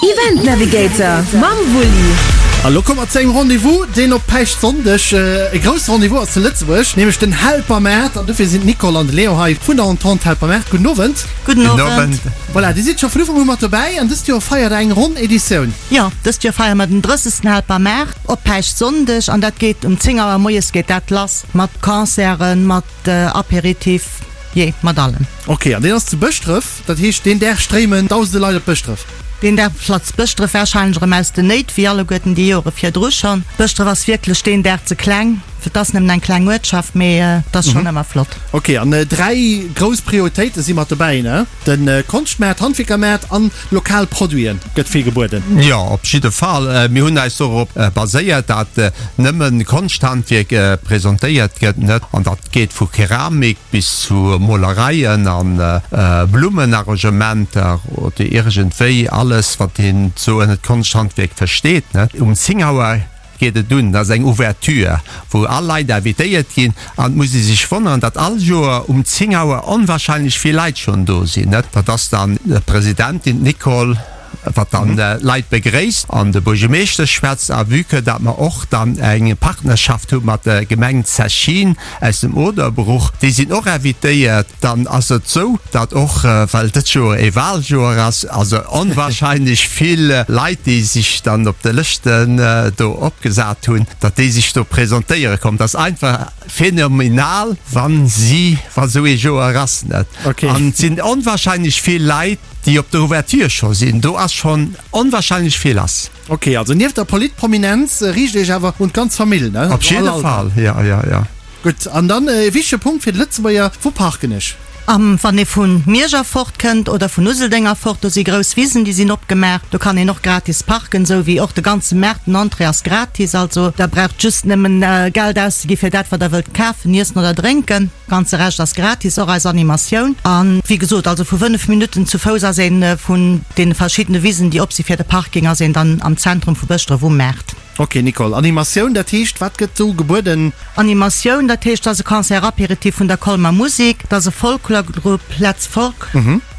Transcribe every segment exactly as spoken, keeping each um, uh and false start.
Event Navigator mam Wulli. A lo komme mer zu engem Rendez-vous, deen op Päischtsonndeg e grousse Rendez-vous ass zu Lëtzebuerg, nämlech den Helpermaart. An dofir sinn d'Nicole an de Léon hei vun der Entente Helpermaart. Gudden Owend. Gudden Owend. Voilà, Dir sidd scho vun Ufank u mat dobäi an dëst Joer feiert Der eng ronn Editioun. Jo, dëst Joer feiere mer den drëssegsten Helpermaart op Päischtsonndeg an dat geet um zéng Auer moies geet dat lass mat Concerten, mat Aperitif. Jee, mat allem. Ok, an deen ass zu Bëschdref, dat heescht deen Dag stréimen dausende Leit op Bëschdref? Deen Dag platzt Bëschdref warscheinlech erëm aus den Néit, wéi alleguerten déi Jore virdru schonn. Bëschdref ass wierklech deen Dag ze kleng, et ass nëmmen eng kleng Uertschaft, mee et ass schonn ëmmer flott. Ok, an dräi grouss Prioritéite si mat dobäi, ne? De Konschtmaart, Handwierkermaart an lokal Produiten gëtt vill gebueden. Jo, op jidde Fall. Mir hunn eis dorop baséiert, dat nëmmen Konschthandwierk presentéiert gëtt, net? An dat geet vu Keramik bis zu Molereien an Blummenarrangementer oder iergendwéi alles, wat een sou ënnert Konschthandwierk versteet. Um zéng Auer geet et un, dat ass eng Ouverture, wou all Leit invitéiert ginn. An et muss ee sech wonneren, datt all Joer um zéng Auer onwahrscheinlech vill Leit schonn do sinn. Dat ass dann d'Presidentin, d'Nicole. wat dann d'Leit begréisst an de Buergermeeschter schwätzt, a vue que dat mer och dann eng Partnerschaft hu mat der Gemeng Zechin aus dem Oderbruch, déi sinn och invitéiert, dann ass et esou, dat och, well dëst Joer ee Wahljoer ass, also onwahrscheinlech vill Leit, déi sech dann op de Lëschten do opgesat hunn, dat déi sech do presentéiere kommen. Dat ass einfach phänomenal, wa si, wa esou ee Joer ass, net? An et sinn onwahrscheinlech vill Leit, Déi op der Ouverture scho sinn, do ass schonn onwahrscheinlech vill lass. Ok, also nieft der Politprominenz riicht Iech awer un d'ganz Famill, ne? Op jidde Fall, jo, jo, jo. Gutt, an dann e wichtege Punkt fir de Lëtzebuerger, Wou parken ech? Am, wann ee vu Miersch erfort kënnt oder vun Useldeng erfort, do si grouss Wisen, déi sinn opgemaach, do kann een och gratis parken, esou wéi och de ganze Maart, den Entrée ass gratis. Also der braucht just nëmmen Geld auszegi fir dat, wat der wëllt kafen, iessen oder drénken. Ganze Rescht ass gratis, och eis Animatioun. An wéi gesot, also vu fënnef Minutten zu Fouss ass een vun deene verschiddene Wisen, déi op si fir de Parking, ass een dann am Zentrum vu Bëschdref um Maart. Ok Nicole, Animatioun, dat heescht, wat gëtt do gebueden? Animatioun, dat heescht, et ass e Concert apéritif vun der Colmer Musik, et ass e Folklorgrupp Letz Folk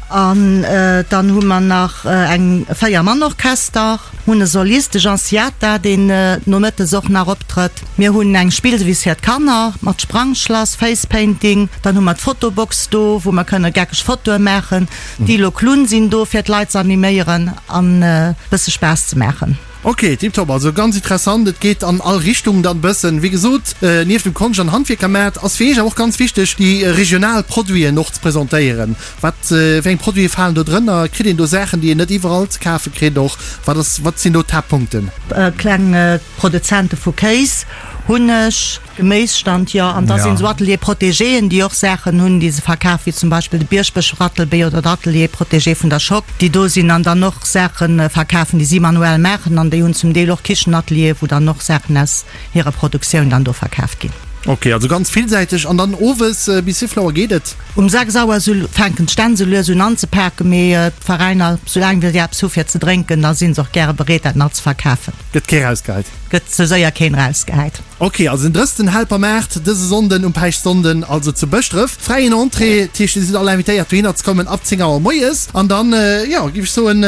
an dann hu mer nach eng Véier-Mann-Orchester. Hunn e Solist, de Jean Siata, deen nomëttes och nach optrëtt. Mir hunn eng Spillwiss fir d'Kanner mat Sprangschlass, Face Painting. Dann hu mer d'Fotobox do, wou mer kënne geckeg Fotoe maachen. D'Ilo Klunn sinn do fir d'Leit ze animéieren an e bësse Spaass ze maachen. Ok, tiptop, also ganz interessant, et geet an all Richtung dann bëssen. Wéi gesot, nieft dem Konscht an Handwierkermaart ass fir iech awer och ganz wichteg, déi regional Produiten och ze presentéieren. Wat fir eng Produite falen do drënner? Kritt een do Saachen, déi een net iwwerall ze kafe kritt och? Wat ass, wat sinn do d'Haaptpunkten? Kleng Produzente vu Kéis, Hunneg, Geméisstand, jo. An da sinn esou Ateliers protégéen, déi och Saachen hunn, déi se verkafen, wéi zum Beispill de Bierschbech-Rattelbee oder d'Atelier protégé vun der Schock, déi do sinn an dann och Saache verkafen, déi si manuell maachen. An déi hunn zum Deel och Kichenateliere, wou dann och Saachen aus hirer Produktioun dann do verkaaft ginn. Ok, also ganz villsäiteg. An dann owes bis wéivill Auer geet et? Um sechs Auer sou fänken d'Stänn sou lues un anzepaken, mee d'Veräiner, soulaang wéi si eppes hu fir ze drénken, da si se och gäre bereet dat nach ze verkafen. Gëtt kee rausgehäit? Gëtt sou séier keen rausgehäit. Ok, also den drëssten Helpermaart dëse Sonnden um Päischtsonnden, also zu Bëschdref. Fräien Entrée, dat heescht dir sidd all invitéiert dohinner ze kommen ab zéng Auer moies. An dann, jo, géif ech soen,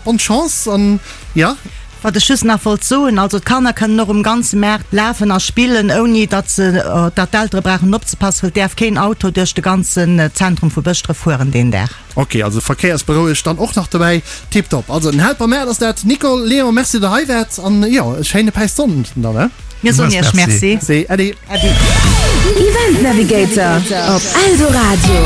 bonne Chance an jo. Wat ech just nach wollt soen, also d'Kanner kënnen och um ganze Maart lafen a spillen, ouni datt se, datt d'Eltere brauchen opzepassen, well et däerf keen Auto duerch de ganzen Zentrum vu Bëschdref fueren deen Dag. Ok, also verkéiersberouegt dann och nach dobäi. Tiptop. Also den Helpermaart ass dat. Nicole, Léon, merci datt der hei waart an jo, e schéine Päistsonnden dann, ne? Mir soen Iech Merci. Merci. Äddi. Äddi. Event Navigator op Eldoradio.